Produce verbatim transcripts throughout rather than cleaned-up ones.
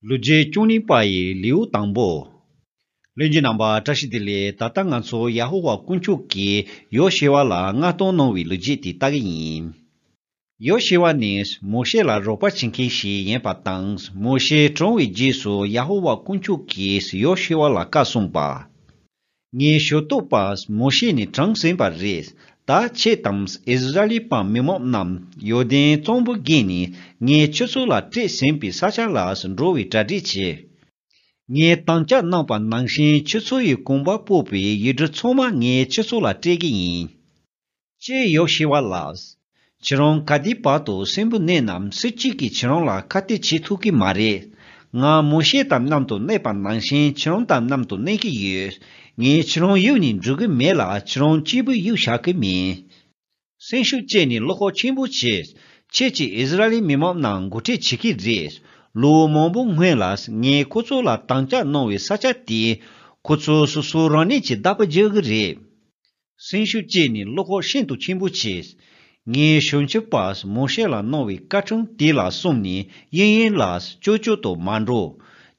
ལོ་རྒྱུས་བཅུ་གཉིས་པ་ཡི་ལེའུ་དང་པོ། ལྷན་རྒྱས་རྣམ་པ་བཀྲ་ཤིས་བདེ་ལེགས། ད་ལྟ་ང་ཚོ་ཡ་ཧོ་ཝཱ་དཀོན་མཆོག་གིས་ཡོ་ཤེ་ཝཱ་ལ་མངགས་གཏོང་གནང་བའི་ལོ་རྒྱུས་དེ་ལྟ་གི་ཡིན། ཡོ་ཤེ་ཝཱ་ནི་མོ་ཤེ་ལ་རོགས་པ་བྱེད་མཁན་ཞིག་ཡིན་པ་དང་། མོ་ཤེ་གྲོངས་པའི་རྗེས་སུ་ཡ་ཧོ་ཝཱ་དཀོན་མཆོག་གིས་ཡོ་ཤེ་ཝཱ་ལ་བཀའ་གསུངས་པ། ངའི་ཞུ་གཏུག་པ་མོ་ཤེ་ནི་གྲོངས་ཟིན་པ་རེད། ད་ཁྱེད་དང་ཨིསི་ར་ཨེལ་པ་མི་མང་རྣམས་ཡོར་དན་གཙང་པོ་བརྒལ་ནས་ངས་ཁྱེད་ཚོ་ལ་སྤྲད་ཟིན་པའི་ས་ཆ་ལ་འགྲོ་བའི་གྲ་སྒྲིག་བྱེད། ངས་དམ་བཅའ་གནང་པ་ནང་བཞིན་ཁྱེད་ཚོ་ཡི་གོམ་པ་སྤོ་བའི་ཡུལ་གྲུ་ཚང་མ་ངས་ཁྱེད་ཚོ་ལ་སྤྲད་ཀྱི་ཡིན། ཅེས་ཡོ་ཤེ་ཝཱ་ལ། ཁྱེད་རང་ག་དུས་བར་དུ་གསོན་པོ་གནས་ནམ། སུ་གཅིག་གིས་ཁྱེད་རང་ལ་ཁ་གཏད་བྱེད་ཐུབ་ཀྱི་མ་རེད། ང་མོ་ཤེ་དང་མཉམ་དུ་གནས་པ་ནང་བཞིན་ཁྱེད་རང་དང་མཉམ་དུ་གནས་ཀྱི་ཡོད། ངས་ཁྱེད་རང་གཡུག་ནས་འགྲོ་གི་མེད་ལ། ཁྱེད་རང་གཅིག་པུ་གཡུག་བཞག་གི་མིན། སེམས་ཤུགས་བཅས་ནས་བློ་ཁོག་ཆེན་པོ་བྱས། ཁྱེད་ཀྱིས་ཨིསི་ར་ཨེལ་མི་མང་རྣམས་འགོ་ཁྲིད་བྱེད་ཀྱི་རེད། ལོ་མང་པོ་སྔོན་ལ་ངས་ཁོ་ཚོ་ལ་དམ་བཅའ་གནང་བའི་ས་ཆ་དེ་ཁོ་ཚོ་སོ་སོ་རང་ཉིད་ཀྱི་བདག་པོ་རྒྱག་གི་རེད། སེམས་ཤུགས་བཅས་ནས་བློ་ཁོག་ཤིན་ཏུ་ཆེན་པོ་བྱས། ངས་ཞབས་ཕྱི་པ་མོ་ཤེ་ལ་གནང་བའི་བཀའ་ཁྲིམས་དེ་ལ་སྲུང་ནས་གཡས་གཡོན་ལ་ཅོལ་ཅོལ་དུ་མ་འགྲོ།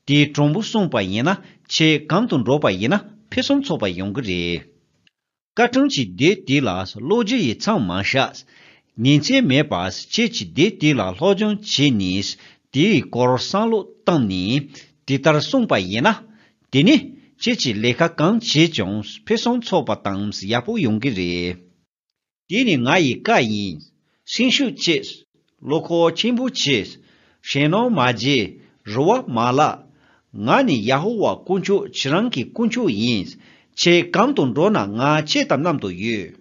དེ་དྲང་པོ་སྲུང་པ་ཡིན་ན་ཁྱེད་གང་དུ་འགྲོ་པ་ཡིན་ན་ཕུན་སུམ་ཚོགས་པ་ཡོང་གི་རེད། བཀའ་ཁྲིམས་ཀྱི་སྡེ་དེ་ལ་ཀློག་རྒྱུ་ཡི་མཚམས་མ་བཞག་ཉིན་མཚན་མེད་པར་ཁྱེད་ཀྱིས་སྡེ་དེ་ལ་སློབ་སྦྱོང་བྱས་ནས་དེའི་སྐོར་བསམ་བློ་བཏང་ནས་དེ་ལྟར་སྲུང་པ་ཡིན་ན། དེ་ནི་ཁྱེད་ཀྱིས་ལས་ཀ་གང་བྱས་ཀྱང་ཕུན་སུམ་ཚོགས་པ་དང་ཡག་པོ་ཡོང་གི་རེད། དེ་ནི་ང་ཡི་བཀའ་ཡིན། སེམས་ཤུགས་བཅས། བློ་ཁོག་ཆེན་པོ་བྱས། ཞེད་སྣང་མ་བྱེད། རེ་བ་མ་བརླག་ང་ནི་ཡ་ཧོ་ཝཱ་དཀོན་མཆོག་ཁྱེད་རང་གི་དཀོན་མཆོག་ཡིན། ཁྱེད་གང་དུ་འགྲོ་ན་ང་ཁྱེད་དང་མཉམ་དུ་ཡོད།